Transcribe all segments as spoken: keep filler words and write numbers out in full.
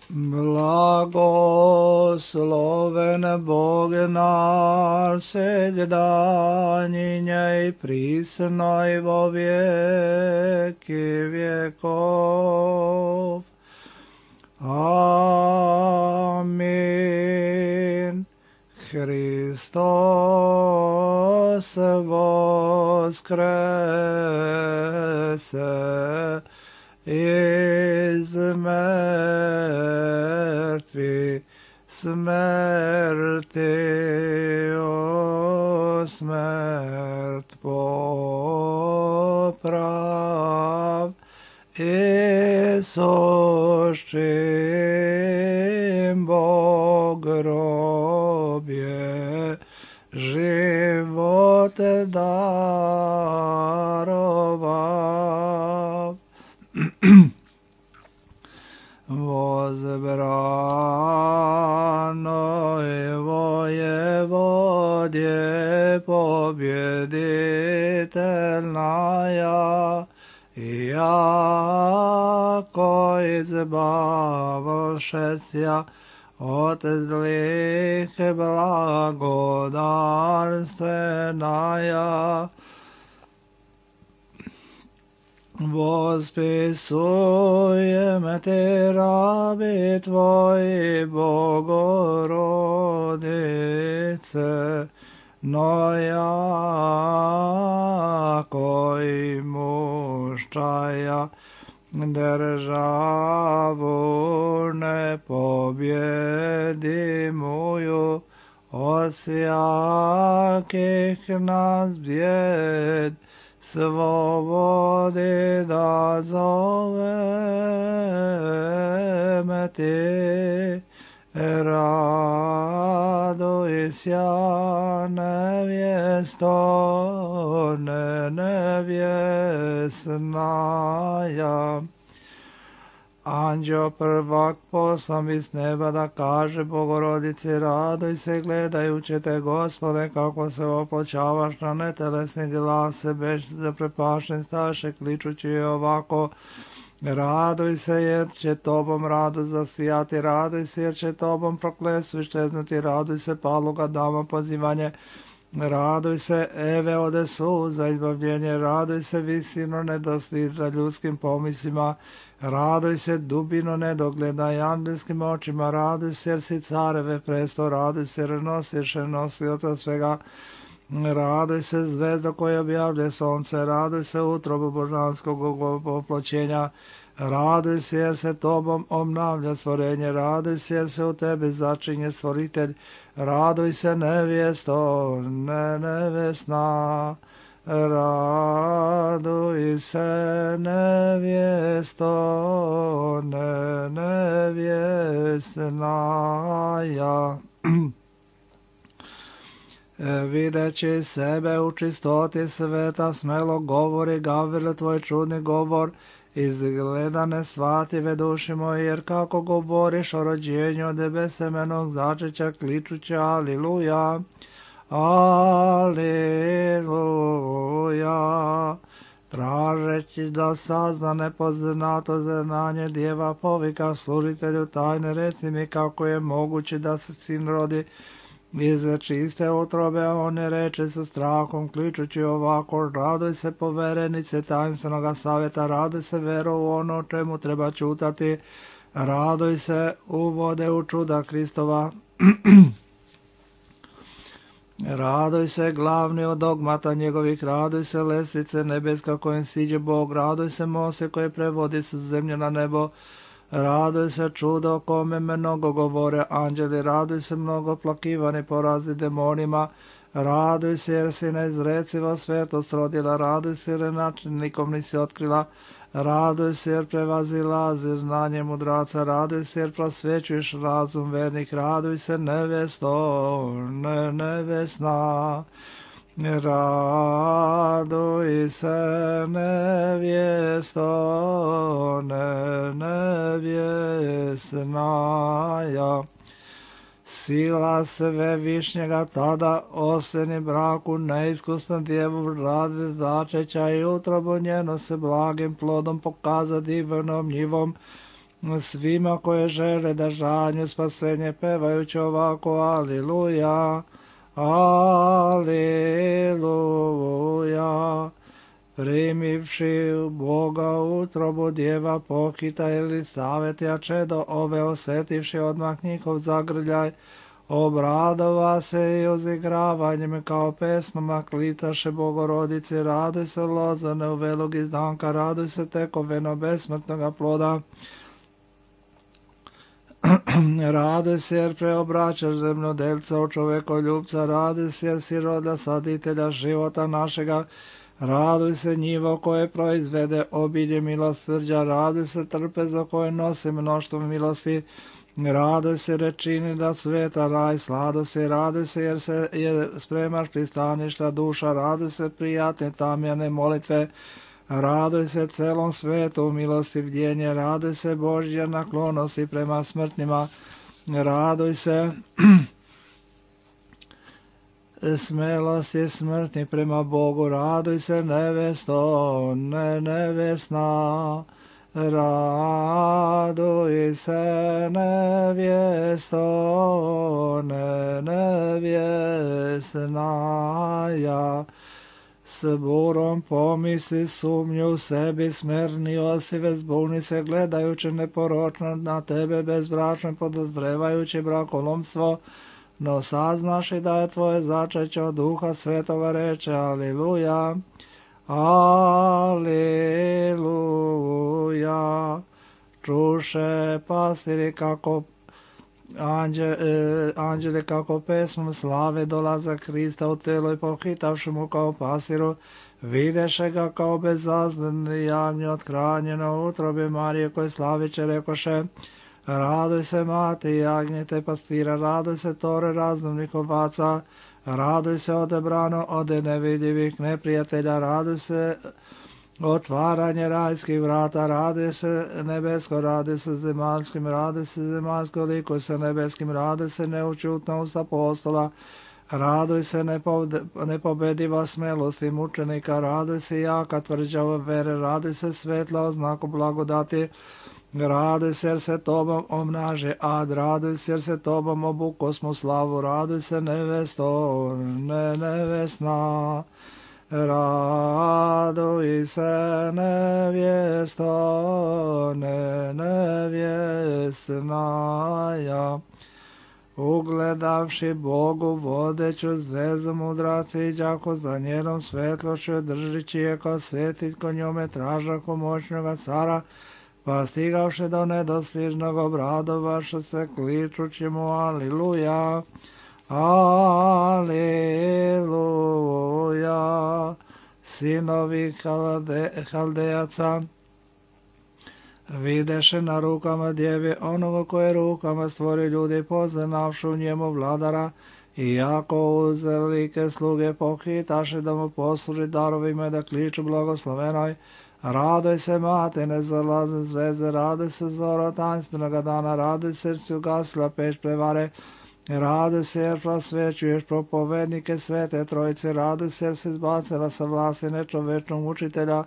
Blagosloven Bog naš, segdanjinja i prisno i vo vijeki vjekov. Amin. Hristos voskrese iz mrtvih, smrti o smrt poprav, Isuščim Bog grobje život darovav. Возбранной воеводе победительная, яко избавившися от злых благодарственная, восписуем Те, раби Твои, Богородице, но яко имущая державу непобедимую от всяких нас бед, свободы да зовем Ти. Радуйся, невесто невестная. Anđeo prvak poslam iz neba da kaže Bogorodici, raduj se gledajući te, Gospode, kako se opločavaš na netelesni glas, bez zaprepašen staše, kličući je ovako: raduj se jer će tobom rado zasijati, raduj se jer će tobom prokletstvo iščeznuti, raduj se paluga dama pozivanje, raduj se Eve ode suza izbavljenje, raduj se visino nedostižna ljudskim pomislima, raduj se dubino nedogledaj angelskim očima, raduj se jer si careve presto, raduj se jer nosiš nosioca svega, raduj se zvezda koja objavlja sonce, raduj se utrobu božanskog oploćenja, raduj se jer se tobom obnavlja stvorenje, raduj se jer se u tebi začinje stvoritelj, raduj se nevjesto ne nevjesna, raduj se nevjesto ne nevjesnaja. Videći sebe u čistoti sveta, smelo govori Gavrilo tvoj čudni govor, izgledane shvative duši moje, jer kako govoriš o rođenju od besemenog začeća, kličući aliluja, aliluja, tražeći da sazna nepoznato znanje djeva povika služitelju tajne, reci mi kako je moguće da se sin rodi iz čiste utrobe, on ne reče sa strahom, kličući ovako: raduj se poverenice tajnstvenog savjeta, raduj se vero u ono čemu treba čutati, raduj se uvode u čuda Kristova. Raduj se glavni od dogmata njegovih, raduj se lestvice nebeska kojim siđe Bog, raduj se mose koje prevodi sa zemlje na nebo, raduj se čudo o kome mnogo govore anđeli, raduj se mnogo plakivani porazi demonima, raduj se jer si neizrecivo svetost rodila, raduj se jer načinikom nisi otkrila, raduj se jer prevazilazi znanje mudraca, raduj se jer prosvećuješ razum vernih, raduj se nevesto ne nevesna, raduj se nevjesto ne nevjesnaja. Sila sve višnjega tada oseni braku neiskusna djevu radi začeća i utrobu njeno se blagim plodom pokaza divnom njivom, svima koje žele da žanju spasenje pevajući ovako aliluja, aliluja. Primivši Boga u utrobu djeva pokita Elisavetija čedo ove osetivši odmah njihov zagrljaj, obradova se i uzigravanjem kao pesmama klitaše Bogorodici, raduj se lozane u velog izdanka, raduj se tekoveno besmrtnoga ploda. Raduj se jer preobraćaš zemljodelca u čovekoljubca, raduj se jer si roda saditelja života našega, raduj se njivo koje proizvede obilje milosrđa, raduj se trpezo koje nosi mnoštvo milosti, raduj se rečini da sveta raj sladosti, raduj se jer se jer spremaš pristaništa duša, raduj se prijatne tamjane molitve, raduj se celom svetu milosti bdjenje, raduj se Božja naklonosti prema smrtnima, raduj se smelosti smrtni prema Bogu, raduj se nevesto, ne nevjesna, raduj se nevjesto, ne nevjesna, ja s burom pomisli sumnju u sebi, smerni osive zbuni se gledajući neporočno na tebe bezbračno podozrevajući brakolomstvo, no saznaš i da je tvoje začeće od Duha Svetoga reče aliluja, aliluja. Čuše pastiri kako anđe, e, anđeli kako pesmom slave dolaza Krista u telo i pohitavši mu kao pasiru, videše ga kao bezazleni javnje othranjeno u utrobi Marije koje slaviće rekoše, raduj se mati jagnjete pastira, raduj se tore raznovnih ovaca, raduj se odebrano od nevidljivih neprijatelja, raduj se otvaranje rajskih vrata, raduj se nebesko, raduj se zemaljskim, raduj se zemaljsko, likuj se nebeskim, raduj se neučutnost apostola, raduj se nepobediva smelosti mučenika, raduj se jaka tvrđava vere, raduj se svetla oznaku blagodati, raduj se jer se tobom omnaže ad, raduj se jer se tobom obukosmo slavu, raduj se nevesto, ne nevesna, raduj se nevjesto, ne nevjesna, ja. Ugledavši Bogu vodeću zvezu mudraci, đako za njenom svetlošću držići je ko svetit ko njome tražako moćnoga cara, pa stigavši do nedostižnog obradovaša se kličući mu aliluja, aliluja. Sinovi halde, haldejaca videše na rukama djevi onoga koje rukama stvori ljudi, poznavši u njemu vladara, i jako uzelike sluge pohitaše da mu posluži darovima i da kliču blagoslovenoj, raduj se mate nezalazne zvezde, raduj se zoro tanstvenoga dana, raduj se jer si ugasila peć prevare, raduj se jer prosvećuješ propovednike svete trojice, raduj se jer si izbacila sa vlasti nečovečnog učitelja,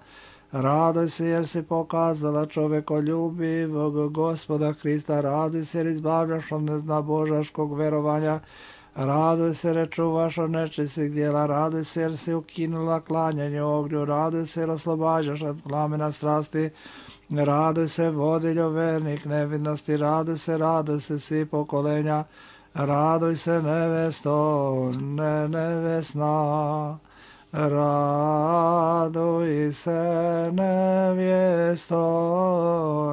raduj se jer si pokazala čovekoljubivog Gospoda Krista, raduj se jer izbavljaš od neznabožaškog verovanja, raduj se jer čuvaš od nečistih djela, raduj se jer si ukinula klanjanje ognju, raduj se jer oslobađaš od plamena strasti, raduj se vodiljo vernik nevidnosti, raduj se, raduj se svi pokolenja, raduj se nevesto, ne nevesna, raduj se nevjesto,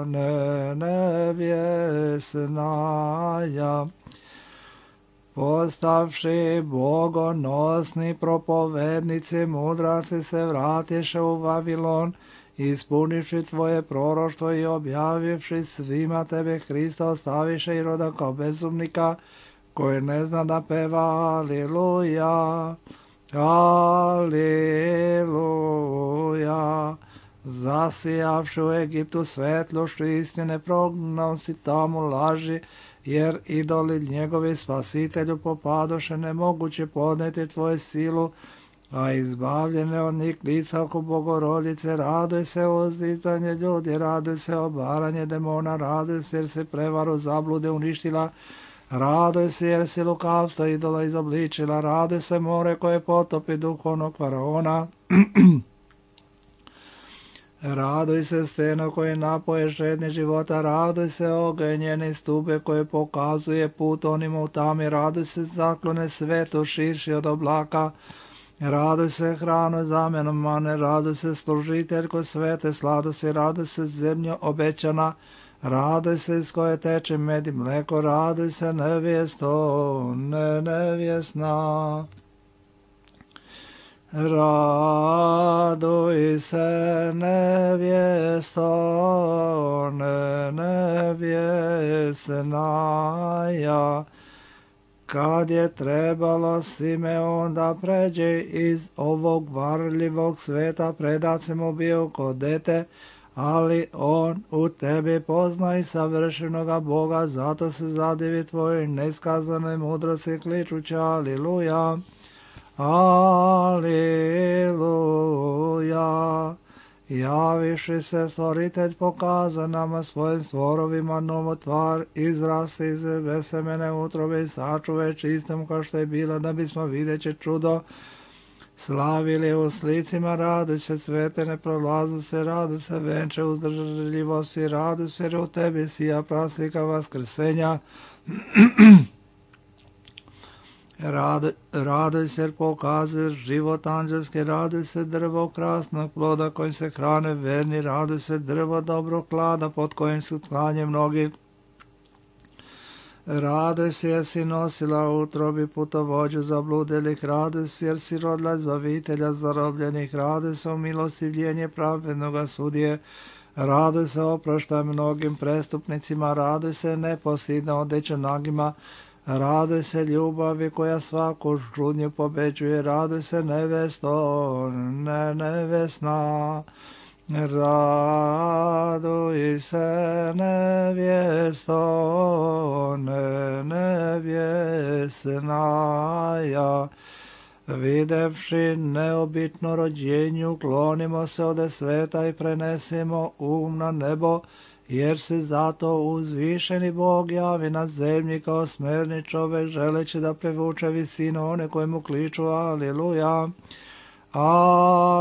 ne nevjesna, ja. Postavši bogonosni propovednici, mudraci se vratiše u Vavilon, ispunivši tvoje proroštvo i objavivši svima tebe Hrista, ostaviše i roda kao bezumnika, koji ne zna da peva aliluja, aliluja. Zasijavši u Egiptu svetlošću istine, prognao si tamo laži, jer idoli njegovi spasitelju popadoše, nemoguće podneti tvoju silu, a izbavljene od njih lica oko Bogorodice, raduj se uzdizanje ljudi, raduj se obaranje demona, raduj se jer se prevaru zablude uništila, raduj se jer si lukavstvo idola izobličila, raduj se more koje potopi duhovnog faraona, raduj se steno koje napoje žedni života, raduj se oganj njene stube koje pokazuje put onima u tami, raduj se zaklone svetu širši od oblaka, raduj se hranu zamenom mane, raduj se služiteljko svete sladosti, raduj se zemljo obećana, raduj se iz koje teče med i mleko, raduj se nevjesto, ne nevjesna. Raduj se nevjesto, ne nevjesnaja. Kad je trebalo Simeon da pređe iz ovog varljivog sveta, predat se mu bio kod dete, ali on u tebi pozna i savršenoga Boga, zato se zadivi tvojoj neskazanoj mudrosti kličući aliluja. Aliluja. Javiši se stvoritelj pokaza nama svojim stvorovima novotvar, izrasti iz besemene utrobe i sačuve čistom kao što je bila, da bismo videći čudo slavili u slicima, radu se cvete, ne prolazu se, radu se venče uzdržljivosti, radu se jer u tebi sija praslika vaskrsenja. Raduj, raduj se jer pokazuje život anđelski, raduj se drvo krasnog ploda kojim se hrane verni, raduj se drvo dobrog klada pod kojim se sklanje mnogi. Raduj se jer si nosila u utrobi putovođu zabludelih, raduj se jer si rodila izbavitelja zarobljenih, raduj se u milostivljenje pravednoga sudije, raduj se oproštaj mnogim prestupnicima, raduj se neposidna odeća nagima, raduj se ljubavi koja svaku žudnju pobeđuje, raduj se nevesto, ne nevesna. Raduj se nevjesto, ne nevjesnaja. Videvši neobitno rođenju, klonimo se ode sveta i prenesimo um na nebo, jer se zato uzvišeni Bog javi na zemlji kao smerni čovek, želeći da prevuče visinu one koje mu kliču aliluja. Aliluja.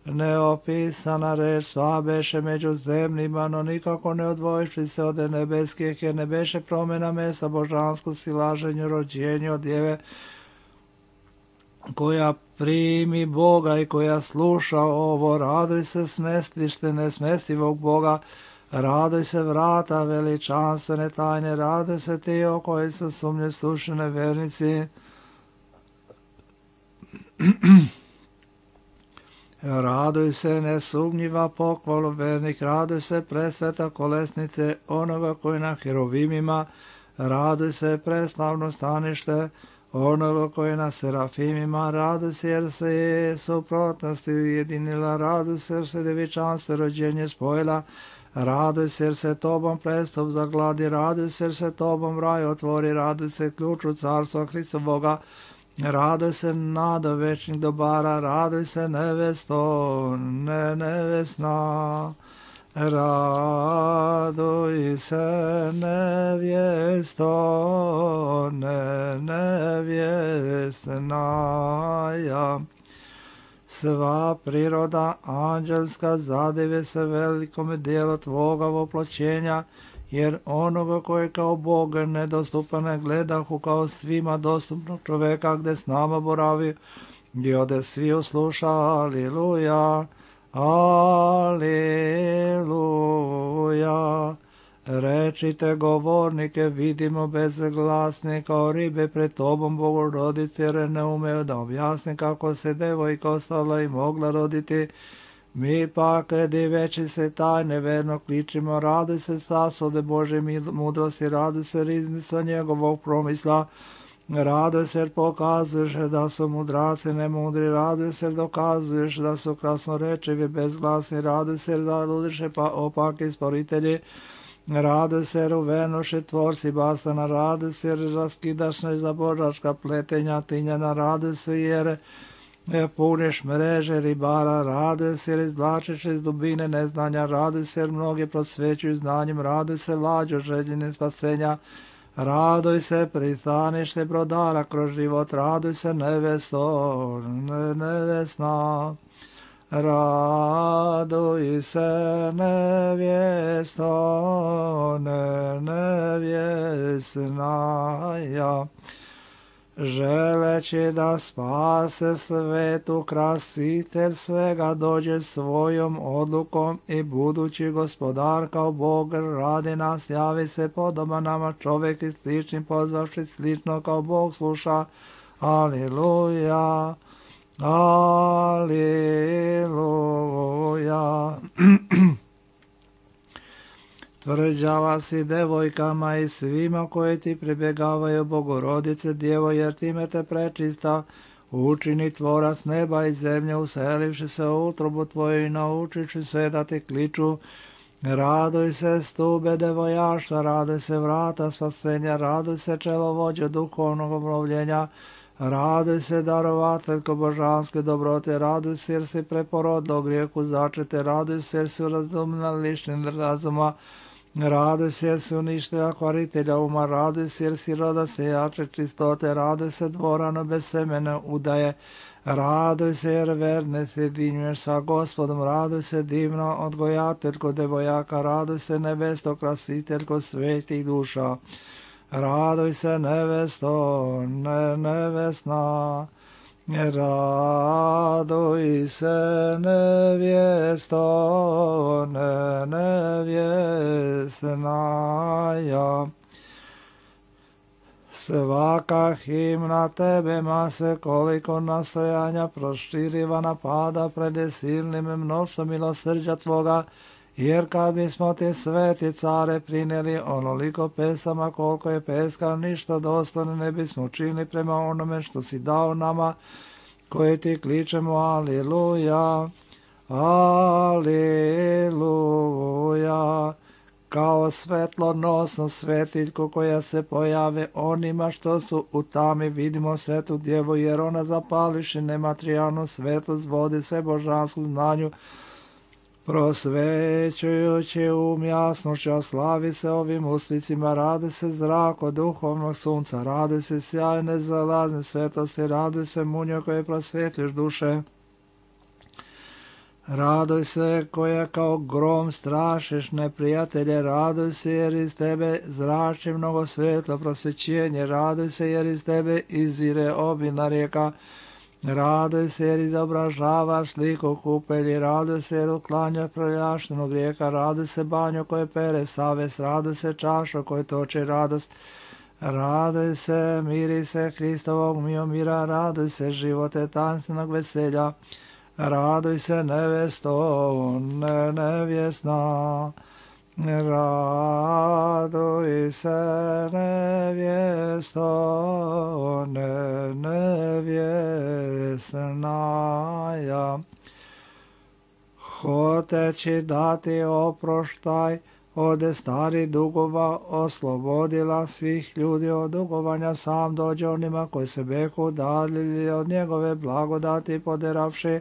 Neopisana reč sva beše među zemljima, no nikako ne odvojiši se od nebeskih, jer ne beše promjena mesa božansko silaženju rođenju od djeve, koja primi Boga i koja sluša ovo. Raduj se smestište nesmestivog Boga, raduj se vrata veličanstvene tajne, raduj se ti o koji su sumnje slušene vernici. Raduj se nesumnjiva pohvalu vernih, raduj se presveta kolesnice onoga koji na herovimima, raduj se preslavno stanište onoga koji na serafimima, raduj se jer se je suprotnosti ujedinila, raduj se jer se devičanstvo rođenje spojila, raduj se jer se tobom prestup zagladi, raduj se jer se tobom raj otvori, raduj se ključu carstva Hristovoga, raduj se nada večnih dobara, raduj se nevesto, ne nevesna. Raduj se nevjesto, ne nevjesnaja. Sva priroda anđelska zadive se velikome dijelu tvoga voploćenja, jer onoga koji kao Boga nedostupan ne gledahu kao svima dostupnog čoveka gde s nama boravi, gdje ode svi usluša, aliluja, aliluja. Rečite govornike, vidimo bezglasne kao ribe pred tobom Bogorodice, jer ne umeju da objasne kako se devojka ostala i mogla roditi. Mi pak, diveći se tajne, verno kličimo, raduj se sasode Bože mudrosti, raduj se riznica njegovog promisla, raduj se jer pokazuješ da su mudraci nemudri, raduj se jer dokazuješ da su krasnorečivi bezglasni, raduj se jer zaludiše pa opaki sporitelji, Raduj se jer uvenuši tvorci basana, raduj se jer raskidaš nezabožačka pletenja tinjena, raduj se jer puniš mreže ribara, raduj se jer izvlačiš iz dubine neznanja, raduj se jer mnogi prosvećuju znanjem, raduj se lađo željeni spasenja, raduj se pristanište brodara kroz život, raduj se nevesto, ne, nevesna. Raduj se nevjesto, ne, nevjesnaja, želeći da spase svetu krasitelj svega dođe svojom odlukom i budući gospodar kao Bog radi nas, javi se podoba nama čovjek i slični pozvavši slično kao Bog sluša. Aliluja. Aliluja. Tvrđava si devojkama i svima koji ti pribjegavaju, Bogorodice Djevo, jer time te prečista učini tvorac neba i zemlje, uselivši se u utrobu tvoju i naučiši sve da ti kliču. Raduj se stube devojaštva, raduj se vrata spasenja, raduj se čelovođe duhovnog obnovljenja, raduj se darovateljko božanske dobrote, raduj se jer si preporodno grijehu začete, raduj se jer si razumna lišni razuma, raduj se jer si uništila kvaritelja uma, raduj se jer si roda sejače čistote, raduj se dvorano bez semene udaje, raduj se jer verne sjedinjuješ sa Gospodom, raduj se divno odgojateljko devojaka, raduj se nevesto krasiteljko svetih duša. Raduj se nevesto, ne, nevesna, raduj se nevjesto, ne, nevjesnaja. Svaka himna tebema se koliko nastojanja proširiva napada pred silnim mnoštvom milosrđa tvoga, jer kad bismo ti sveti care prinijeli onoliko pesama koliko je peska, ništa dostojno ne bismo učinili prema onome što si dao nama, koji ti kličemo aliluja, aliluja, kao svetlonosnu svetiljku koja se pojave onima što su u tami, vidimo svetu djevu, jer ona zapališi nematerijalnu svetlost, vodi se božansku znanju, prosvećujući um jasnošću, slavi se ovim uslicima, radi se zrak od duhovnog sunca, radi se sjajne zalazne svetosti, radi se munjo koje prosvjetliš duše, raduj se koja kao grom strašiš neprijatelje, raduj se jer iz tebe zrači mnogo svetlo prosvećenje, raduj se jer iz tebe izvire obilna rijeka, raduj se jer izobražavaš sliku kupelji, raduj se jer uklanjaš proljaštenog grijeka, raduj se banjo koje pere savest, raduj se čašo koje toči radost, raduj se miri se Hristovog mira, raduj se živote tanstvenog veselja, raduj se nevesto, ne, nevjesna, raduj se nevjesto, ne, nevjesnaja. Hoteći dati oproštaj ode stari dugova, oslobodila svih ljudi od dugovanja, sam dođe onima koji se behu udaljili od njegove blagodati, poderavši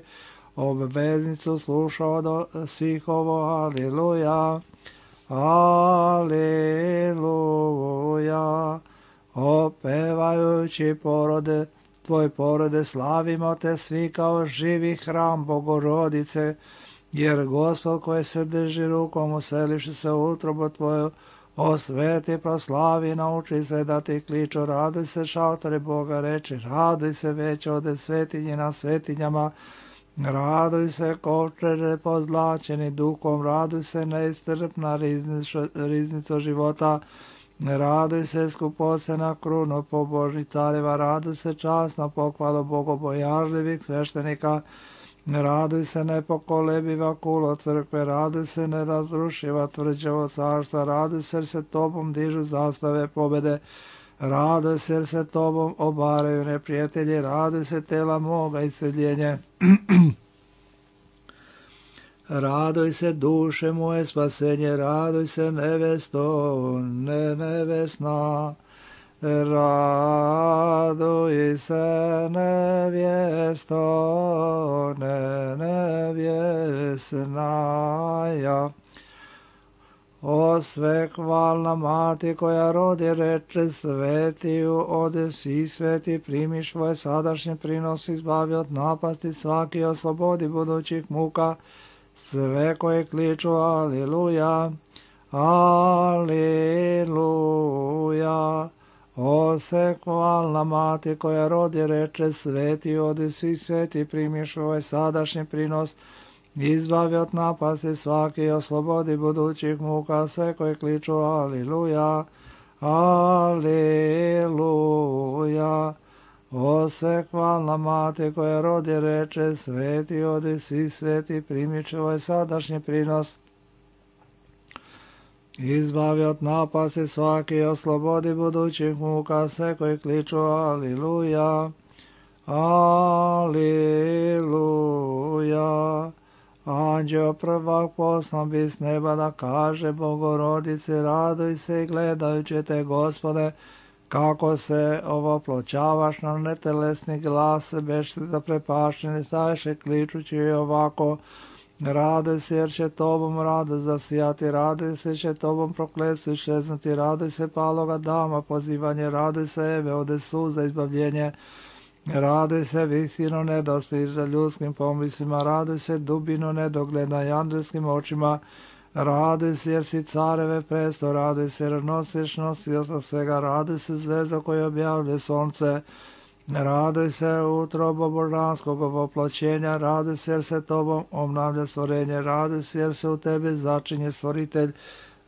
obveznicu, slušao do svih ovo, aliluja, aliluja, opevajući porode, tvoj porode, slavimo te svi kao živi hram Bogorodice, jer Gospod koji se drži rukom useliši se u utrobu tvoju, osveti, proslavi, nauči se da ti kliču, raduj se šaltore Boga reči, raduj se već ode svetinji na svetinjama, raduj se kovčeže pozlačeni duhom, raduj se neistrpna riznica života, raduj se skupocena krunu pobožnih careva, raduj se časna pohvala bogobojažljivih sveštenika, raduj se nepokolebiva kulo crkve, raduj se nerazrušiva tvrđavo carstva, raduj se jer se tobom dižu zastave pobede, raduj se jer se tobom obaraju neprijatelji, raduj se tela moga isceljenje. Radoj se duše moje spasenje, radoj se nevesto, ne nevesna. Radoj se nevjesto, ne nevjesnaja. O sve hvalna mati koja rodi reče svetiju, ode svi sveti primiš svoj sadašnji prinos, izbavi od napasti svaki, oslobodi budućih muka, sve koje kliču aliluja, aliluja. O se hvalna mati koja rodi reče sveti, ode svi sveti primiš svoj sadašnji prinos, izbavi od napasti svaki, oslobodi budućih muka, sve koje kliču aliluja, aliluja. O sve hvalna mati koja rodi reče sveti, odi svi sveti primiš ovaj sadašnji prinos, izbavi od napasti svaki, oslobodi budućih muka, sve koji kliču aliluja, aliluja. Anđeo prvak poslan bi s neba da kaže Bogorodice, radoj se i gledajući te, Gospode, kako se ovoploćavaš na netelesni glas, beš zaprepašćeni staješe kličući ovako, radoj se jer će tobom rado zasijati, radoj se će tobom prokletstvo iščeznuti, radoj se paloga dama pozivanje, radoj se Eve ode suza izbavljenje, radoj se visino nedostiža ljudskim pomislima, radoj se dubino nedogledna i andelskim očima, radoj se jer si careve presto, radoj se jer nosiš nosioca svega, radoj se zvezda koja objavlja sonce, radoj se utrobo božanskog ovoploćenja, radoj se jer se tobom obnavlja stvorenje, radoj se jer se u tebi začinje stvoritelj,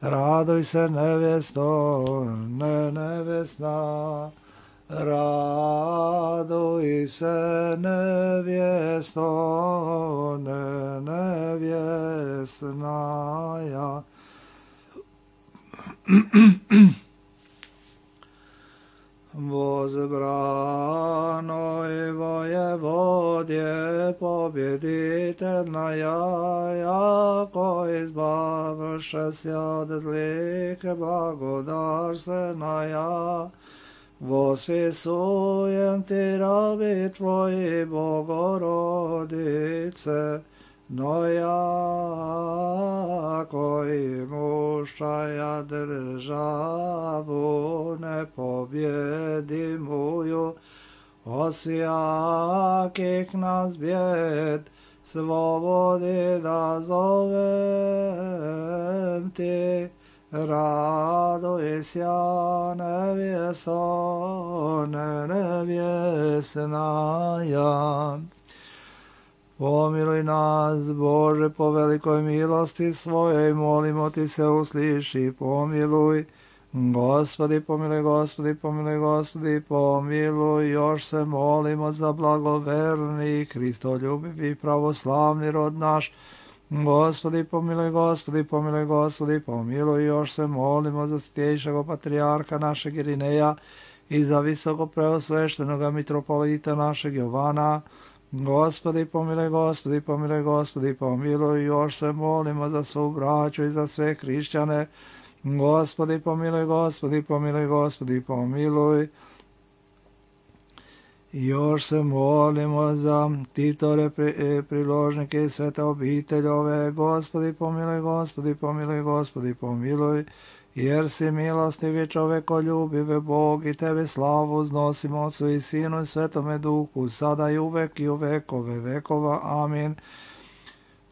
radoj se nevjesto, ne nevjesna. Radoj se nevjesto, ne nevjesnaja. Возбранoj vojevodje pobjeditelnaja, jako izbavše se od zlike blagodarstvenaja, Vospisujem ti rabi tvoji, Bogorodice, no ja koji mušaja državu nepobjedimuju, osjakih nas bjed slobodi da zovem ti. Radoj sja nevjesto, ne nevjesnaja. Pomiluj nas, Bože, po velikoj milosti svojoj, molimo ti se usliši, pomiluj. Gospodi, pomiluj, Gospodi, pomiluj, Gospodi, pomiluj. Još se molimo za blagoverni, Hristoljubivi, pravoslavni rod naš. Gospodi, pomiluj, Gospodi, pomiluj, Gospodi, pomiluj. Još se molimo za svjetejšeg patrijarha našeg Irineja i za visoko preosveštenoga mitropolita našeg Jovana. Gospodi, pomiluj, Gospodi, pomiluj, Gospodi, pomiluj. Još se molimo za svu braću i za sve hrišćane. Gospodi, pomiluj, Gospodi, pomiluj, Gospodi, pomiluj. Još se molimo za titore, priložnike i svete obiteljove. Gospodi, pomiluj, Gospodi, pomiluj, Gospodi, pomiluj. Jer si milostivi čovekoljubive Bog i Tebi slavu uznosimo Otcu i Sinu i Svetome Duhu, sada i uvek i u vekove vekova. Amin.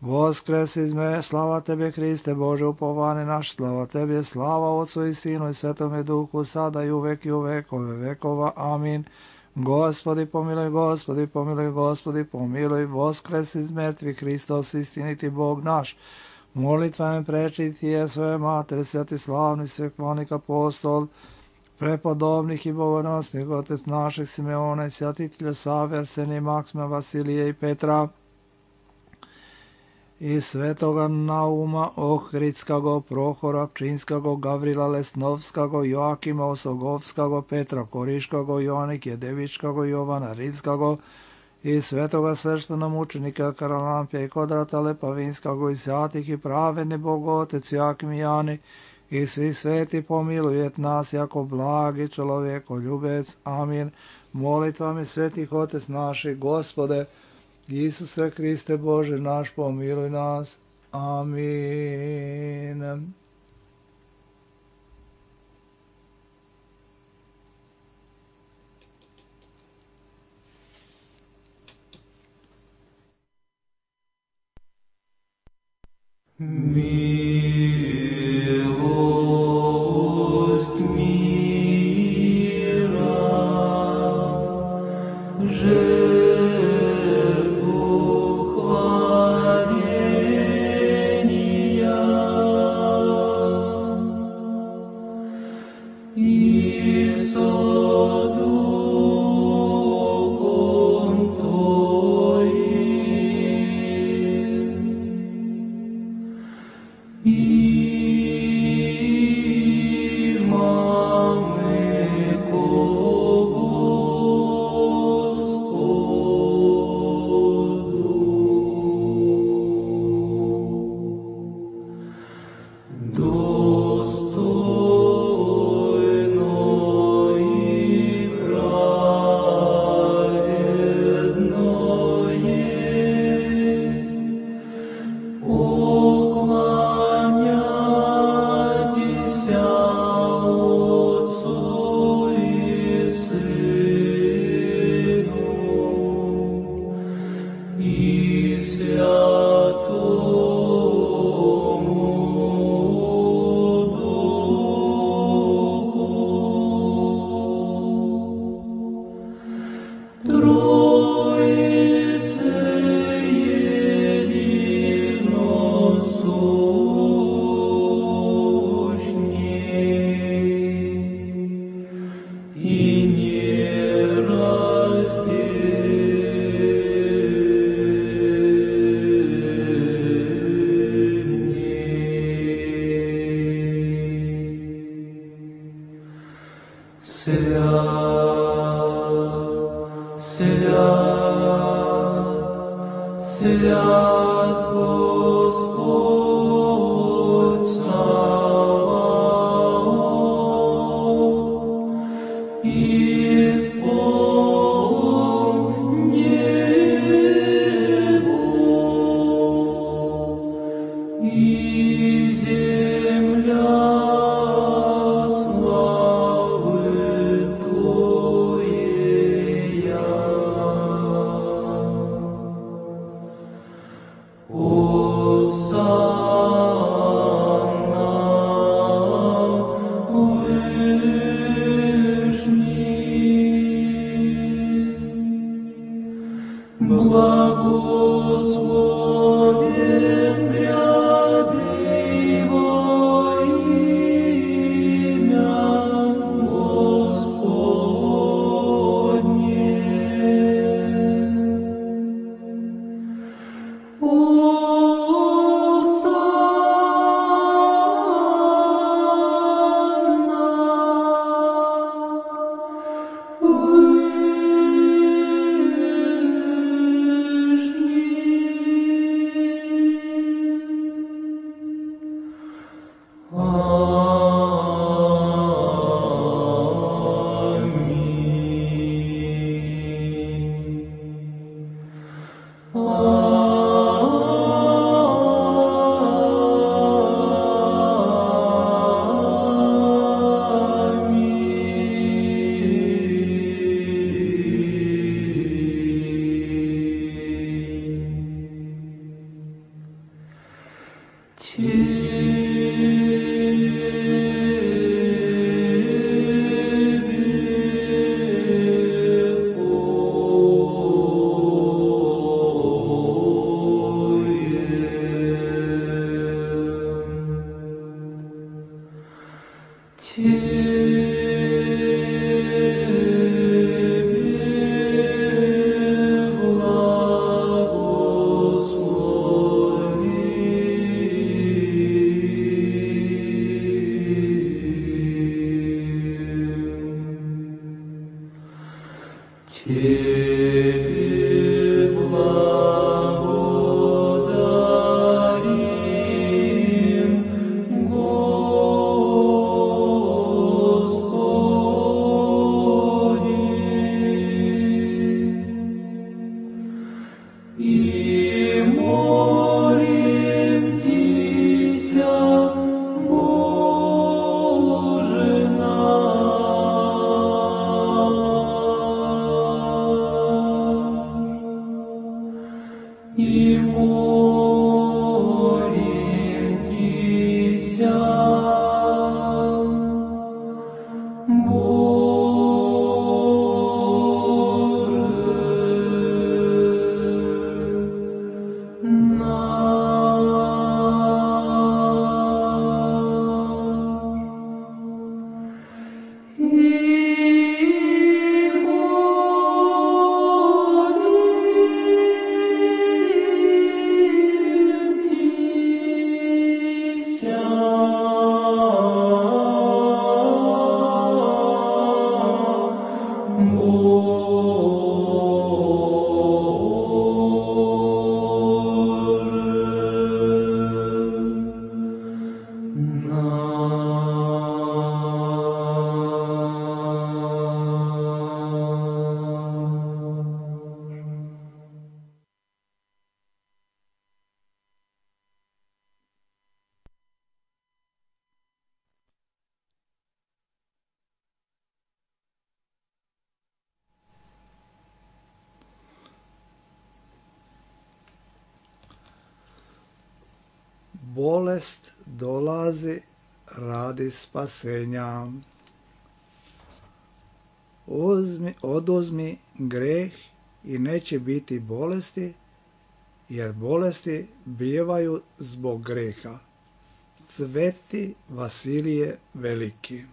Voskres izme, slava Tebi Hriste, Bože upovani naš, slava Tebi, slava Otcu i Sinu i Svetome Duhu, sada i uvek i u vekove vekova. Amin. Gospodi, pomiluj, Gospodi, pomiluj, Gospodi, pomiluj. Voskres iz mrtvih, Hristos, istiniti Bog naš. Molitvama prečiti je svoje mater, svatislavni sveklanik apostol, prepodobnih i bogonosnih otec naših Simeona i svjatitelja Save, Arsenija, Maksima, Vasilija i Petra, i svetoga Nauma Ohridskago, Prohora Pčinskago, Gavrila Lesnovskago, Joakima Osogovskago, Petra Koriškago, Joanik Jedevičkago, Jovana Ridskago, i svetoga sveštena mučenika Karalampija i Kodrata Lepavinskog i svятih i pravedni Bogotec Jakim Jani i svi sveti pomilujet nas jako blagi čovjeko ljubec. Amin. Molitvami svetih Otec naših, Gospode, Isuse Hriste Bože naš, pomiluj nas. Amin. Милость мира, жертву хваления и со Духом Твоим. Имаме ко Господу. Достойно и праведно есть поклоняйтеся Отцу и Сыну и Святому Духу. Троице единосущней и нераздельней. Свят, свят, свят Господь Саваоф, исполн небо и земля славы Твоея. Осанна Вышний, благословен гряды во имя Господне. Тебе благослови. bolest dolazi radi spasenja. Uzmi, oduzmi greh i neće biti bolesti, jer bolesti bijevaju zbog greha. Sveti Vasilije Veliki.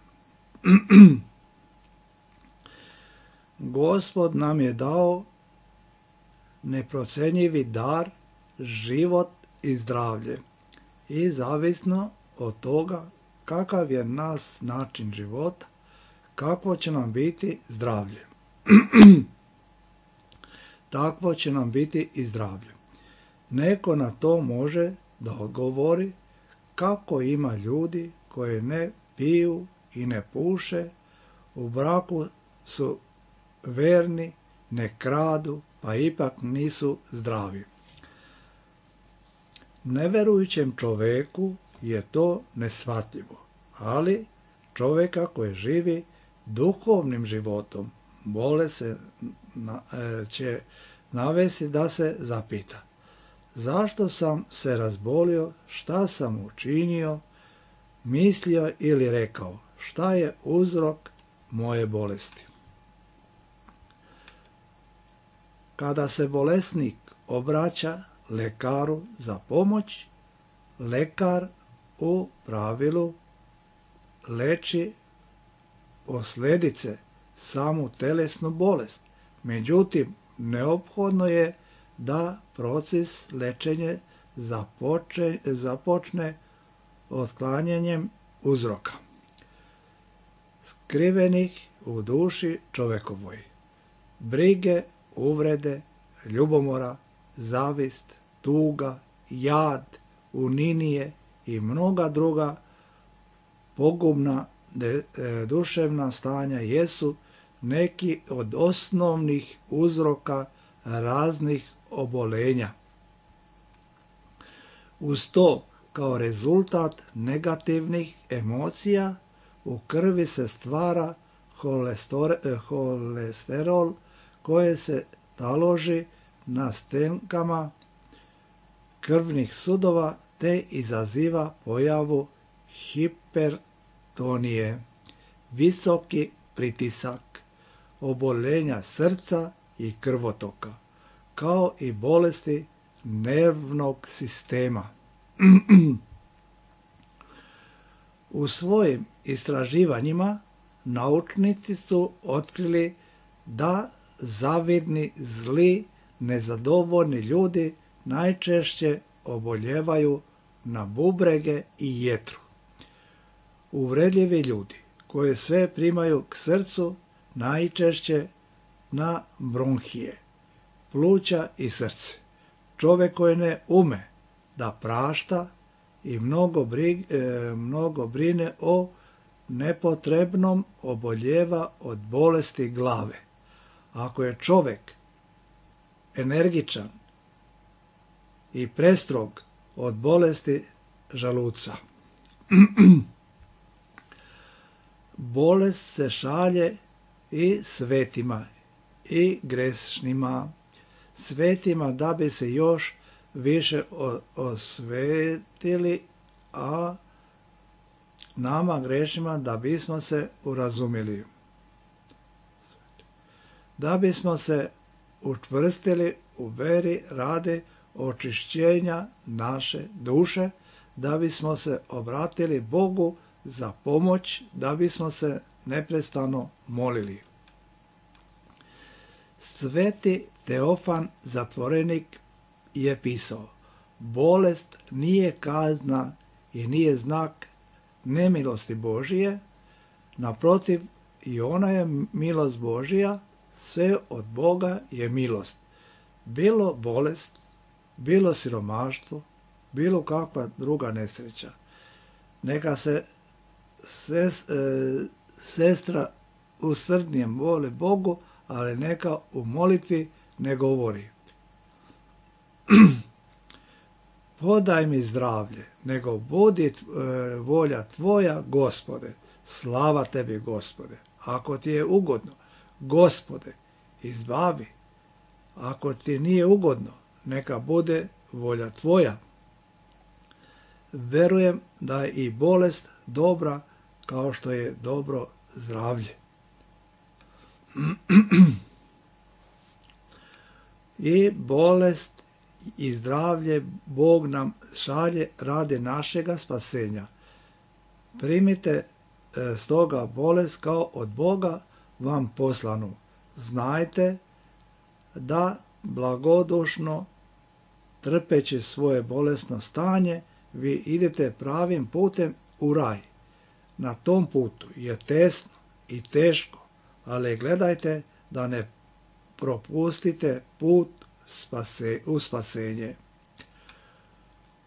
Gospod nam je dao neprocenjivi dar, život i zdravlje. I zavisno od toga kakav je nas način života, kakvo će nam biti zdravlje. Takvo će nam biti i zdravlje. Neko na to može da odgovori kako ima ljudi koji ne piju i ne puše, u braku su verni, ne kradu, pa ipak nisu zdravi. Neverujućem čoveku je to neshvatljivo, ali čovjeka koji živi duhovnim životom bolest se na, e, će navesti da se zapita: zašto sam se razbolio, šta sam učinio, mislio ili rekao, šta je uzrok moje bolesti? Kada se bolesnik obraća lekaru za pomoć, lekar u pravilu leči posljedice, samu telesnu bolest. Međutim, neophodno je da proces lečenja započne, započne otklanjanjem uzroka skrivenih u duši čovekovoj. Brige, uvrede, ljubomora, zavist, tuga, jad, uninije i mnoga druga pogubna de, e, duševna stanja jesu neki od osnovnih uzroka raznih obolenja. Uz to, kao rezultat negativnih emocija, u krvi se stvara holesterol koje se taloži na stenkama krvnih sudova te izaziva pojavu hipertonije, visoki pritisak, oboljenja srca i krvotoka, kao i bolesti nervnog sistema. U svojim istraživanjima naučnici su otkrili da zavidni, zli, nezadovoljni ljudi najčešće oboljevaju na bubrege i jetru. Uvredljivi ljudi koji sve primaju k srcu najčešće na bronhije, pluća i srce. Čovjek koji ne ume da prašta i mnogo, brig, e, mnogo brine o nepotrebnom oboljeva od bolesti glave. Ako je čovjek energičan i prestrog od bolesti želuca. Bolest se šalje i svetima i grešnima. Svetima da bi se još više osvetili, a nama grešnima da bismo se urazumili. Da bismo se učvrstili u veri radi očišćenja naše duše, da bismo se obratili Bogu za pomoć, da bismo se neprestano molili. Sveti Teofan Zatvorenik je pisao: bolest nije kazna i nije znak nemilosti Božije, naprotiv, i ona je milost Božija, sve od Boga je milost. Bilo bolest, bilo siromaštvo, bilo kakva druga nesreća. Neka se ses, e, sestra u srdnijem moli Bogu, ali neka u molitvi ne govori: podaj mi zdravlje, nego budi e, volja tvoja, Gospode. Slava tebi, Gospode. Ako ti je ugodno, Gospode, izbavi. Ako ti nije ugodno, neka bude volja tvoja. verujem da je i bolest dobra kao što je dobro zdravlje. I bolest i zdravlje Bog nam šalje radi našega spasenja. Primite e, stoga bolest kao od Boga vam poslanu. Znajte da blagodušno trpeći svoje bolesno stanje vi idete pravim putem u raj. Na tom putu je tesno i teško, ali gledajte da ne propustite put spase, u spasenje.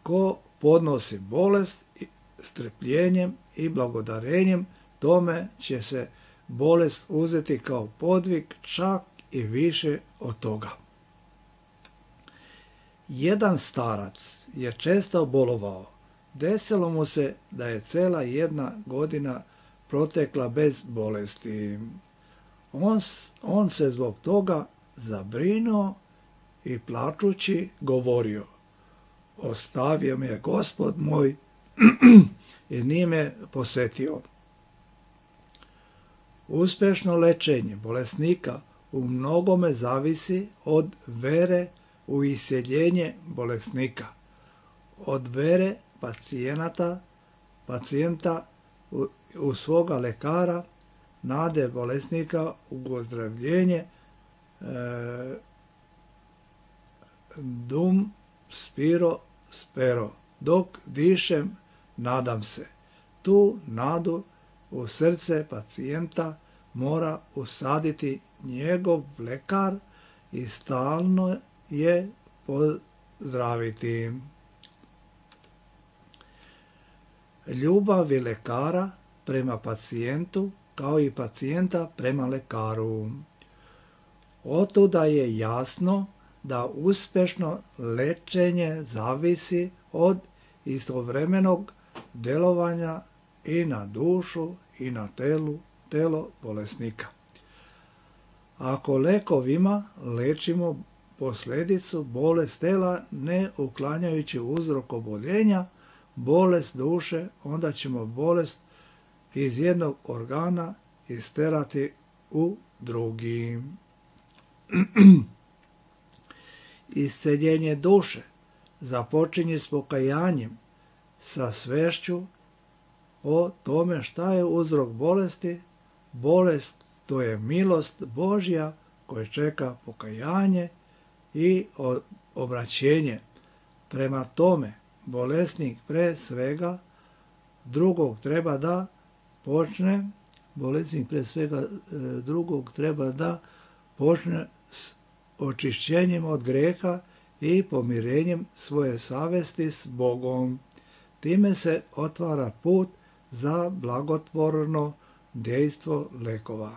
Ko podnosi bolest strpljenjem i blagodarenjem, tome će se bolest uzeti kao podvig, čak i više od toga. Jedan starac je često bolovao. Desilo mu se da je cela jedna godina protekla bez bolesti. On, on se zbog toga zabrinuo i plačući govorio: ostavio me Gospod moj i nije me posetio. Uspješno lečenje bolesnika u mnogome zavisi od vere u isceljenje bolesnika, od vere pacijenata, pacijenta u, u svoga lekara, nade bolesnika u ozdravljenje, e, dum spiro spero, dok dišem nadam se. Tu nadu u srce pacijenta mora usaditi njegov lekar i stalno je pozdraviti. Ljubav je lekara prema pacijentu kao i pacijenta prema lekaru. Otuda je jasno da uspješno lečenje zavisi od istovremenog djelovanja i na dušu i na telu, telo bolesnika. Ako lekovima lečimo posljedicu bolest tela ne uklanjajući uzrok oboljenja, bolest duše, onda ćemo bolest iz jednog organa isterati u drugi. Isceljenje duše započinje s pokajanjem, sa svešću o tome šta je uzrok bolesti. Bolest to je milost Božja koja čeka pokajanje i obraćenje. Prema tome, bolesnik pre svega drugog treba da počne, bolesnik pre svega drugog treba da počne s očišćenjem od greha i pomirenjem svoje savesti s Bogom. Time se otvara put za blagotvorno dejstvo lekova.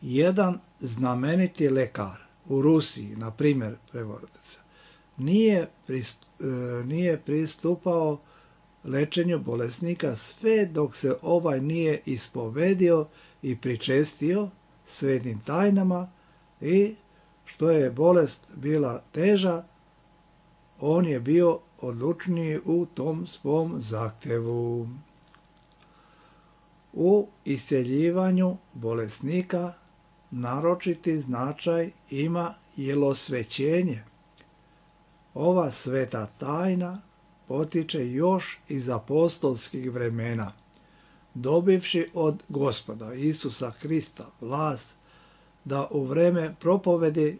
Jedan znameniti lekar u Rusiji, na primjer, prevodica, nije, prist, nije pristupao lečenju bolesnika sve dok se ovaj nije ispovedio i pričestio svetim tajnama i što je bolest bila teža, on je bio odlučniji u tom svom zahtjevu. U isceljivanju bolesnika naročiti značaj ima jelosvećenje. Ova sveta tajna potiče još iz apostolskih vremena, dobivši od Gospoda Isusa Krista vlast da u vreme propovedi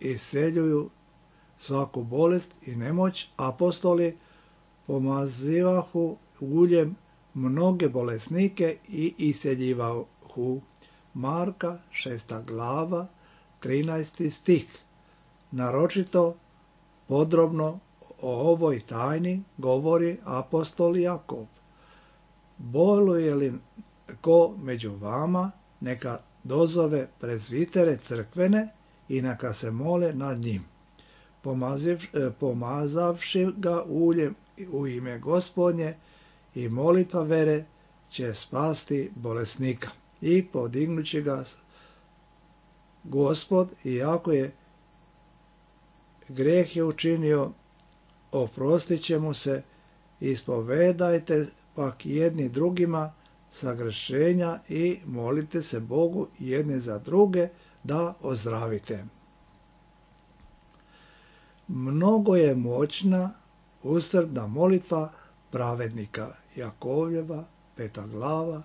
isceljuju svaku bolest i nemoć, apostoli pomazivahu uljem mnoge bolesnike i isceljivahu. Marka šesta glava, trinaesti stih. Naročito podrobno o ovoj tajni govori apostol Jakov. Boluje li ko među vama, neka dozove prezvitere crkvene i neka se mole nad njim, pomazavši ga uljem u ime Gospodnje, i molitva vere će spasti bolesnika. I podignući ga Gospod, iako je greh je učinio oprostit će mu se, ispovedajte pak jedni drugima sagrešenja i molite se Bogu jedni za druge da ozdravite. Mnogo je moćna ustrpna molitva pravednika. Jakovljeva, peta glava,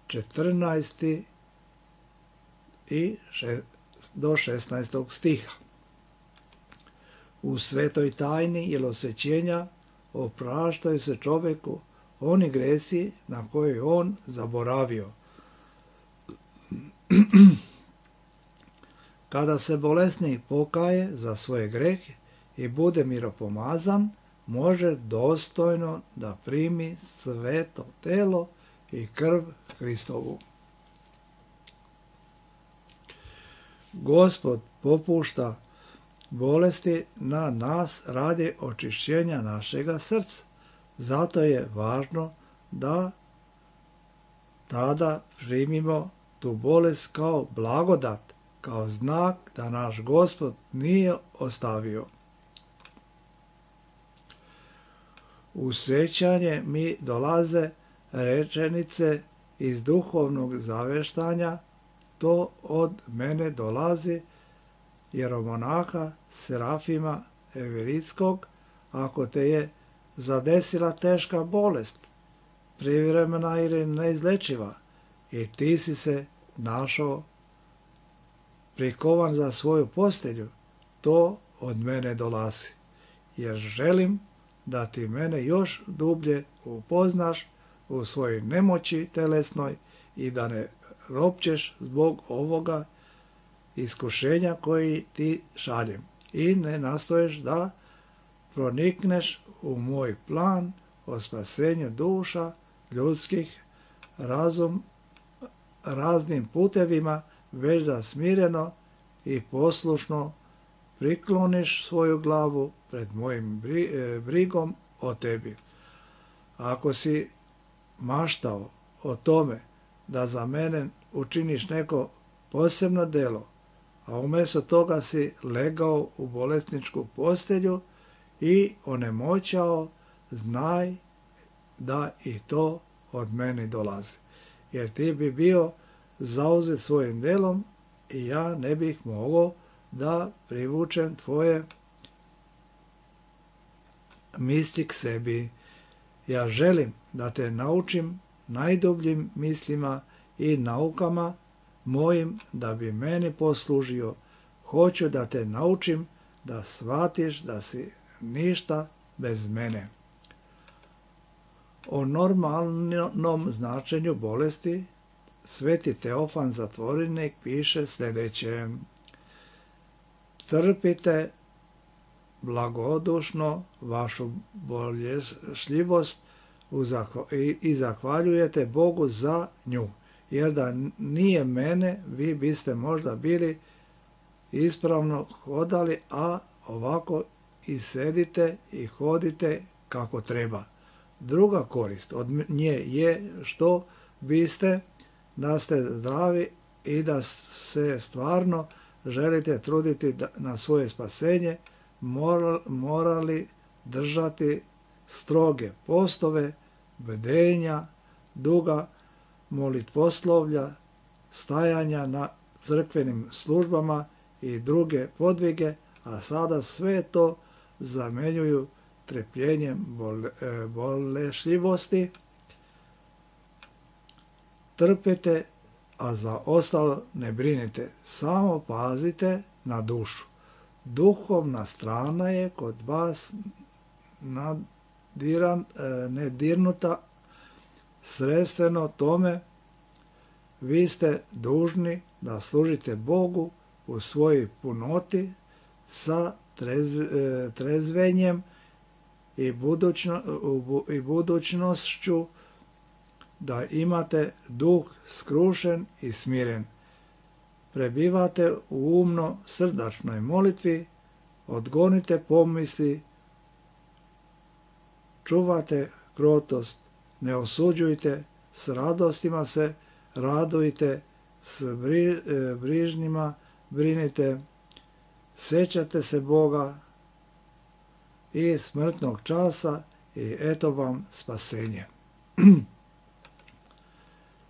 četrnaesti i do šesnaestog stiha. U svetoj tajni jelosvećenja opraštaju se čoveku oni gresi na koje on zaboravio. Kada se bolesnik pokaje za svoje grehe i bude miropomazan, može dostojno da primi sveto telo i krv Hristovu. Gospod popušta bolesti na nas radi očišćenja našega srca. Zato je važno da tada primimo tu bolest kao blagodat, kao znak da naš Gospod nije ostavio. U sjećanje mi dolaze rečenice iz duhovnog zaveštanja, to od mene dolazi jeromonaha Serafima Everitskog, ako te je zadesila teška bolest, privremena ili neizlečiva, i ti si se našao prikovan za svoju postelju, to od mene dolazi, jer želim da ti mene još dublje upoznaš u svojoj nemoći telesnoj i da ne ropćeš zbog ovoga iskušenja koji ti šaljem i ne nastoješ da pronikneš u moj plan o spasenju duša ljudskih razum raznim putevima, već da smireno i poslušno prikloniš svoju glavu pred mojim brigom o tebi. Ako si maštao o tome da za mene učiniš neko posebno delo, a umjesto toga si legao u bolesničku postelju i onemoćao, znaj da i to od mene dolazi. Jer ti bi bio zauzet svojim delom i ja ne bih mogao da privučem tvoje misli k sebi. Ja želim da te naučim najdubljim mislima i naukama mojim da bi meni poslužio. Hoću da te naučim da shvatiš da si ništa bez mene. O normalnom značenju bolesti Sveti Teofan Zatvorenik piše sljedeće: trpite blagodušno vašu bolešljivost i zahvaljujete Bogu za nju, jer da nije mene, vi biste možda bili ispravno hodali, a ovako i sedite i hodite kako treba. Druga korist od nje je što biste, da ste zdravi i da se stvarno želite truditi na svoje spasenje, morali držati stroge postove, bdenja, duga molitvoslovlja, stajanja na crkvenim službama i druge podvige, a sada sve to zamenjuju trpljenjem bolešljivosti. Trpite, a za ostalo ne brinite, samo pazite na dušu. Duhovna strana je kod vas nadiran, nedirnuta, sredstveno tome vi ste dužni da služite Bogu u svojoj punoti sa trez, trezvenjem i, budućno, i budućnošću, da imate duh skrušen i smiren. Prebivate u umno srdačnoj molitvi, odgonite pomisli, čuvate krotost, ne osuđujte, s radostima se radujte, s bri, brižnima brinite, sećate se Boga i smrtnog časa i eto vam spasenje.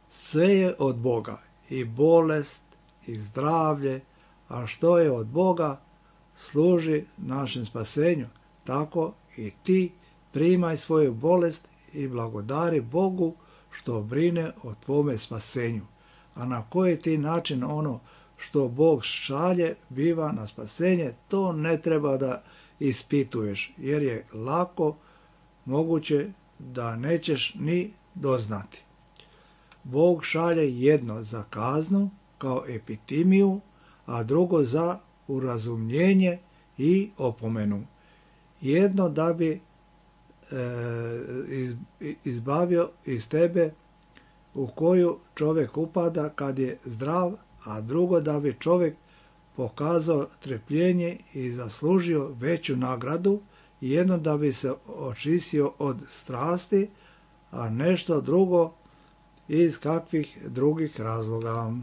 Sve je od Boga, i bolest, i zdravlje, a što je od Boga služi našem spasenju. Tako i ti primaj svoju bolest i blagodari Bogu što brine o tvome spasenju. A na koji ti način ono što Bog šalje biva na spasenje, to ne treba da ispituješ, jer je lako moguće da nećeš ni doznati. Bog šalje jedno za kaznu kao epitimiju, a drugo za urazumljenje i opomenu. Jedno da bi e, izbavio iz tebe u koju čovjek upada kad je zdrav, a drugo da bi čovjek pokazao trpljenje i zaslužio veću nagradu, jedno da bi se očistio od strasti, a nešto drugo iz kakvih drugih razloga.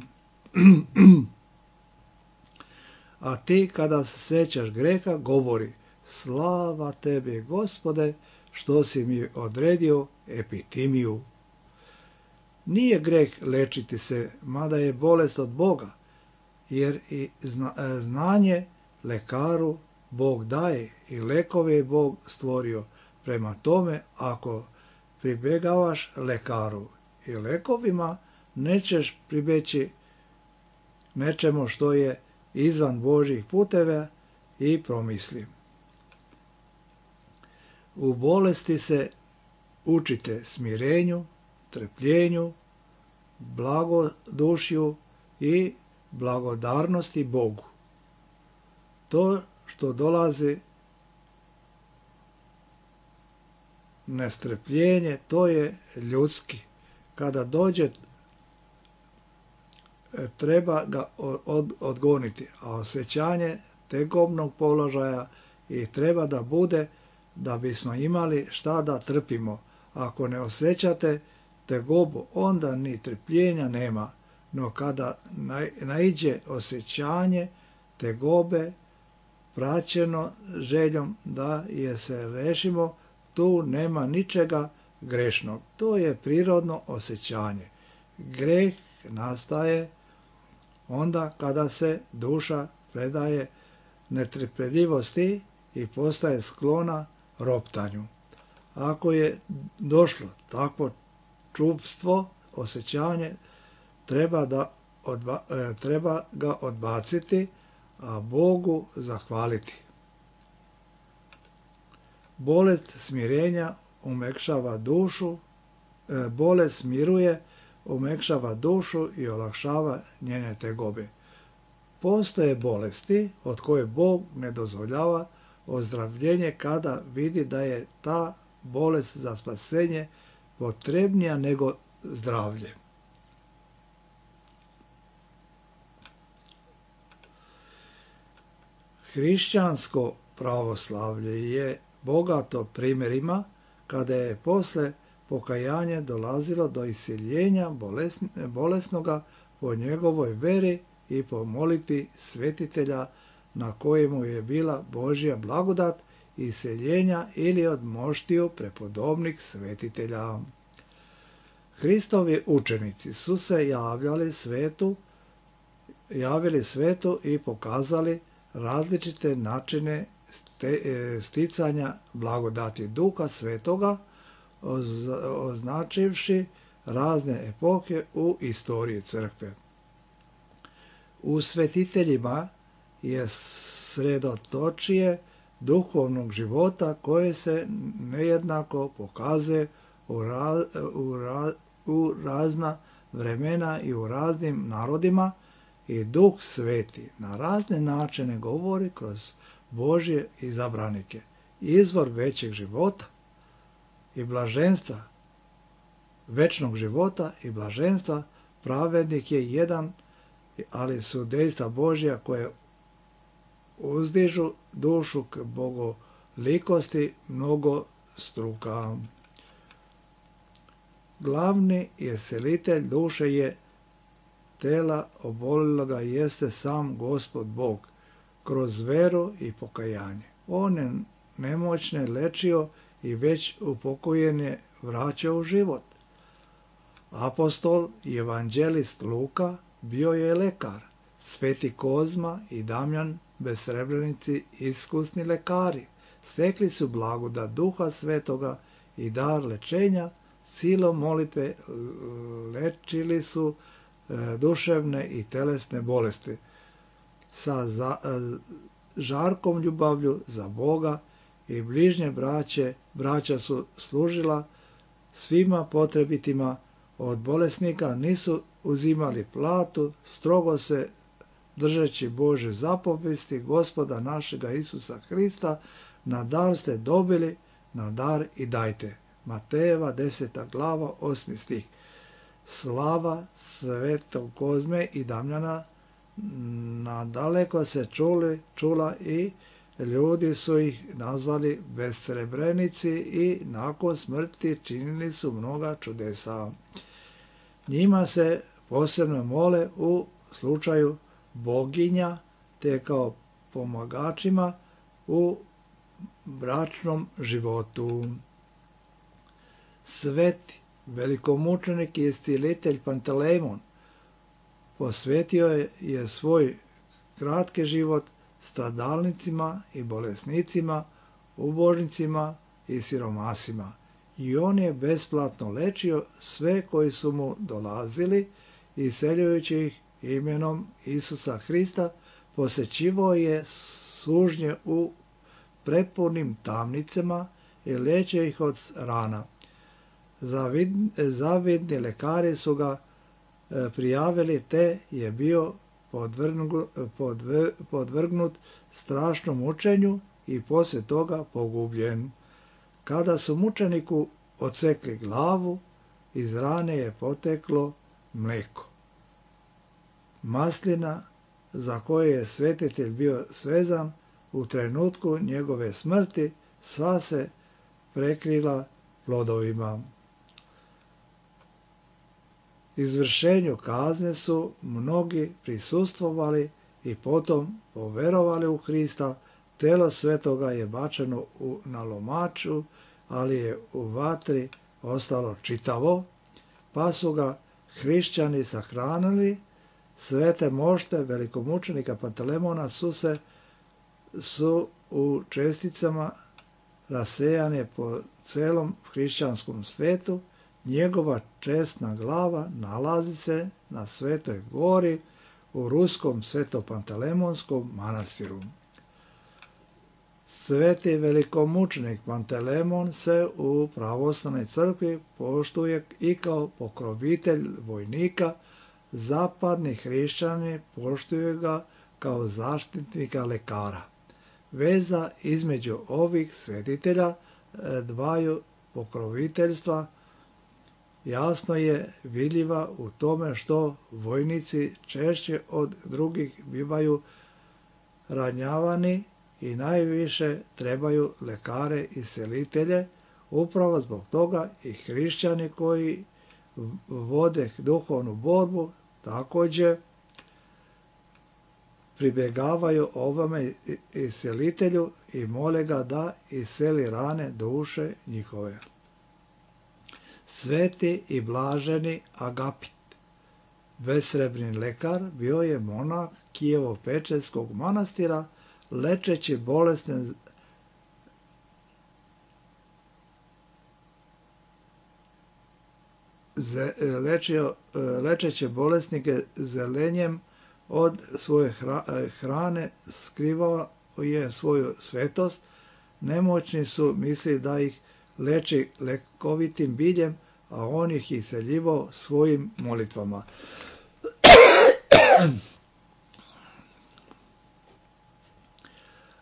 A ti kada se sećaš greha, govori: slava tebi, Gospode, što si mi odredio epitimiju. Nije greh lečiti se, mada je bolest od Boga, jer i znanje lekaru Bog daje i lekove je Bog stvorio. Prema tome, ako pribjegavaš lekaru i lekovima, nećeš pribeći nečemu što je izvan Božjih puteva i promisli. U bolesti se učite smirenju, trpljenju, blagodušju i blagodarnosti Bogu. To što dolazi nestrpljenje, to je ljudski. Kada dođe, treba ga od, odgoniti, a osjećanje tegobnog položaja i treba da bude da bismo imali šta da trpimo. Ako ne osjećate tegobu, onda ni trpljenja nema, no kada naiđe osjećanje tegobe praćeno željom da je se rešimo, tu nema ničega grešnog. To je prirodno osjećanje. Greh nastaje onda kada se duša predaje netrpeljivosti i postaje sklona roptanju. Ako je došlo takvo čuvstvo, osjećanje, treba, da odba, e, treba ga odbaciti, a Bogu zahvaliti. Bolest smirenja umekšava dušu, e, bolest smiruje, umekšava dušu i olakšava njene tegobe. Postoje bolesti od koje Bog ne dozvoljava ozdravljenje kada vidi da je ta bolest za spasenje potrebnija nego zdravlje. Hrišćansko pravoslavlje je bogato primjerima kada je posle pokajanja dolazilo do iseljenja bolesnoga po njegovoj veri i po molitvi svetitelja na kojemu je bila Božja blagodat iseljenja ili od moštiju prepodobnih svetitelja. Hristovi učenici su se javljali svetu, javili svetu i pokazali različite načine sticanja blagodati Duha Svetoga, označivši razne epohe u istoriji crkve. U svetiteljima je sredotočije duhovnog života koje se nejednako pokazuje u, raz, u, raz, u razna vremena i u raznim narodima i Duh Sveti na razne načine govori kroz Božje izabranike. Izvor većeg života i blaženstva, večnog života i blaženstva, pravednik je jedan, ali su dejstva Božja koje uzdižu dušu k bogolikosti mnogo struka. Glavni iscelitelj duše je tela oboliloga jeste sam Gospod Bog, kroz veru i pokajanje. On je nemoćne lečio i već upokojene vraćao u život. Apostol i evanđelist Luka bio je lekar, Sveti Kozma i Damjan Besrebrenici iskusni lekari, stekli su blagodat Duha Svetoga i dar lečenja, silom molitve lečili su duševne i telesne bolesti. Sa za, žarkom ljubavlju za Boga i bližnje braće, braća su služila svima potrebitima, od bolesnika nisu uzimali platu, strogo se držeći Bože zapovesti Gospoda našega Isusa Hrista, na dar ste dobili, na dar i dajte. Matejeva deseta glava, osmi stih. Slava Svetog Kozme i Damjana nadaleko se čuli, čula i ljudi su ih nazvali besrebrenici i nakon smrti činili su mnoga čudesa. Njima se posebno mole u slučaju boginja te kao pomagačima u bračnom životu. Sveti velikomučenik i iscjelitelj Pantelejmon posvetio je, je svoj kratki život stradalnicima i bolesnicima, ubožnicima i siromasima. I on je besplatno lečio sve koji su mu dolazili, iseljujući ih imenom Isusa Hrista, posjećivao je sužnje u prepunim tamnicama i lečio ih od rana. Zavidni lekari su ga prijavili, te je bio podvrgnut, podvrgnut strašnom mučenju i poslije toga pogubljen. Kada su mučeniku odsekli glavu, iz rane je poteklo mlijeko. Maslina za koje je svetitelj bio svezan u trenutku njegove smrti, sva se prekrila plodovima. Izvršenju kazne su mnogi prisustvovali i potom poverovali u Hrista. Telo svetoga je bačeno u, na lomaču, ali je u vatri ostalo čitavo, pa su ga hrišćani sahranili. Svete mošte velikomučenika Pantelemona su se su u česticama rasejane po celom hrišćanskom svetu. Njegova česna glava nalazi se na Svetoj gori u ruskom Svetopantelemonskom manastiru. Sveti velikomučenik Pantelemon se u pravoslavnoj crkvi poštuje i kao pokrovitelj vojnika, zapadni hrišćani poštuju ga kao zaštitnika lekara. Veza između ovih svetitelja dvaju pokroviteljstva jasno je vidljiva u tome što vojnici češće od drugih bivaju ranjavani i najviše trebaju lekare i selitelje. Upravo zbog toga i hrišćani koji vode duhovnu borbu također pribjegavaju ovome iscelitelju i mole ga da isceli rane duše njihove. Sveti i blaženi Agapit, besrebni lekar, bio je monah Kijevo-Pečerskog manastira, lečeći bolesne lečio, lečeći bolesnike zelenjem od svoje hrane, skrivao je svoju svetost. Nemoćni su mislili da ih leči lekovitim biljem, a on ih iseljivao svojim molitvama.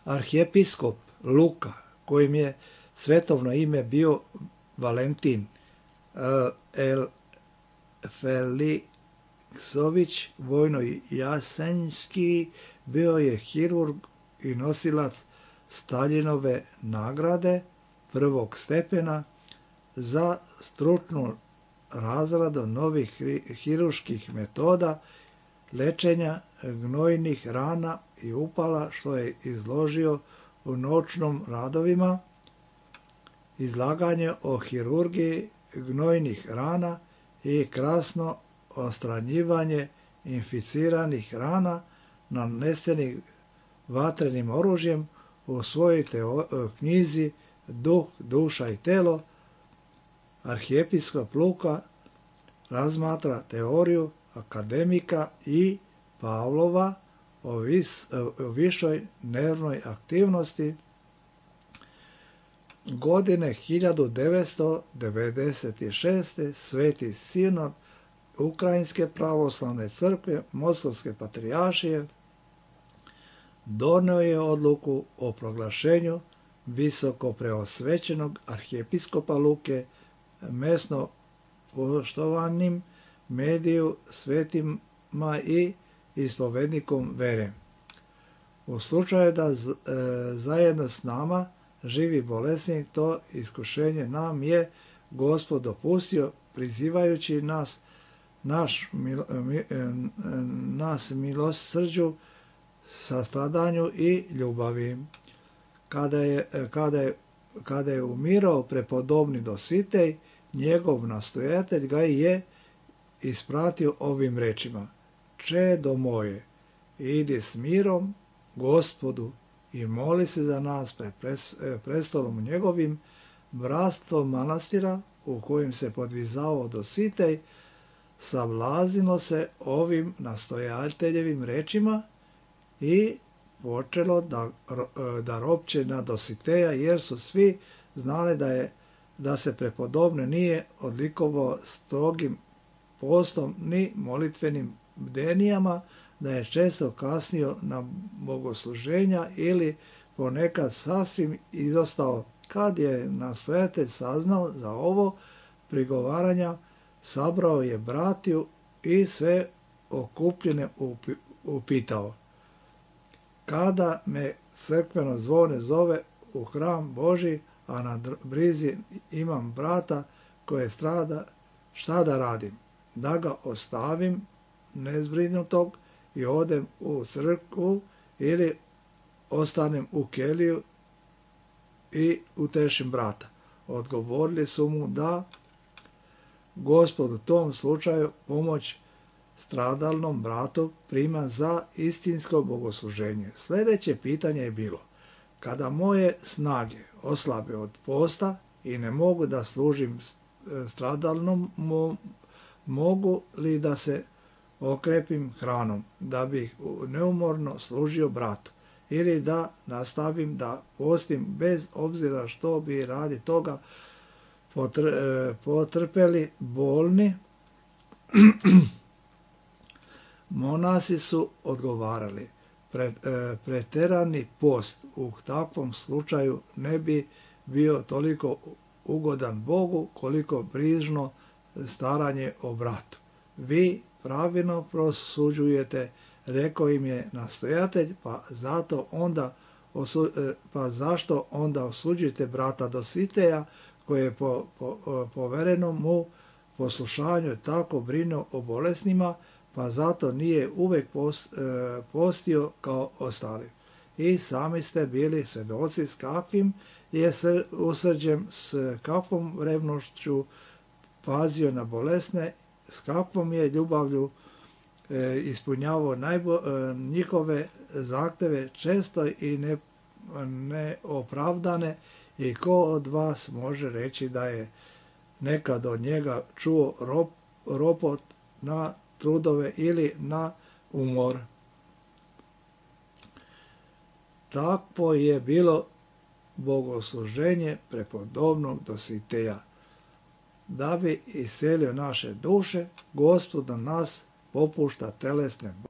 Arhijepiskop Luka, kojim je svetovno ime bio Valentin El Feliksović Vojno-Jasenjski, bio je hirurg i nosilac Staljinove nagrade prvog stepena za stručnu razradu novih hirurških metoda lečenja gnojnih rana i upala, što je izložio u noćnom radovima, izlaganje o hirurgiji gnojnih rana i krasno ostranjivanje inficiranih rana nanesenih vatrenim oružjem u svojoj teo- knjizi Duh, duša i telo. Arhijepiskop Luka razmatra teoriju akademika i Pavlova o, vis, o višoj nervnoj aktivnosti. Godine hiljadu devetsto devedeset šeste. Sveti sinod Ukrajinske pravoslavne crkve Moskovske patrijaršije donio je odluku o proglašenju visoko preosvećenog arhijepiskopa Luke mesno poštovanim mediju svetima i ispovednikom vere. U slučaju da z, e, zajedno s nama živi bolesnik, to iskušenje nam je Gospod dopustio, prizivajući nas naš mil, mi, nas milosrđu, sastradanju i ljubavi. Kada je, kada je, kada je umirao prepodobni Dositej, njegov nastojatelj ga je ispratio ovim rečima: Čedo moje, idi s mirom Gospodu i moli se za nas pred prestolom njegovim. Bratstvo manastira u kojem se podvizao Dositej savlazilo se ovim nastojateljevim rečima i počelo da, da ropće na Dositeja, jer su svi znali da, je, da se prepodobne nije odlikovao strogim postom ni molitvenim bdenijama, da je često kasnio na bogosluženja ili ponekad sasvim izostao. Kad je nastojatelj saznao za ovo prigovaranja, sabrao je bratiju i sve okupljene upitao: Kada me crkveno zvone zove u hram Božji, a na brizi imam brata koje strada, šta da radim? Da ga ostavim nezbrinutog i odem u crkvu ili ostanem u keliju i utešim brata? Odgovorili su mu da Gospod u tom slučaju pomoć stradalnom bratu prima za istinsko bogosluženje. Sljedeće pitanje je bilo: kada moje snage oslabe od posta i ne mogu da služim stradalnom, mo, mogu li da se okrepim hranom da bih neumorno služio bratu, ili da nastavim da postim bez obzira što bi radi toga potr, potrpeli bolni? Monasi su odgovarali: Pret, e, preterani post u takvom slučaju ne bi bio toliko ugodan Bogu koliko brižno staranje o bratu. Vi pravilno prosuđujete, rekao im je nastojatelj, pa zato onda osu, e, pa zašto onda osuđujete brata Dositeja, koji je po, po, povereno mu poslušanju tako brinuo o bolesnima, pa zato nije uvek post, e, postio kao ostali. I sami ste bili svedoci s kakvim je sr, usrđem, s kakvom revnošću pazio na bolesne, s kakvom je ljubavlju e, ispunjavao najbo, e, njihove zahteve, često i ne, neopravdane. I ko od vas može reći da je nekad od njega čuo rop, ropot na trudove ili na umor? Takvo je bilo bogosluženje prepodobnog Dositeja. Da bi iselio naše duše, Gospod na nas popušta telesne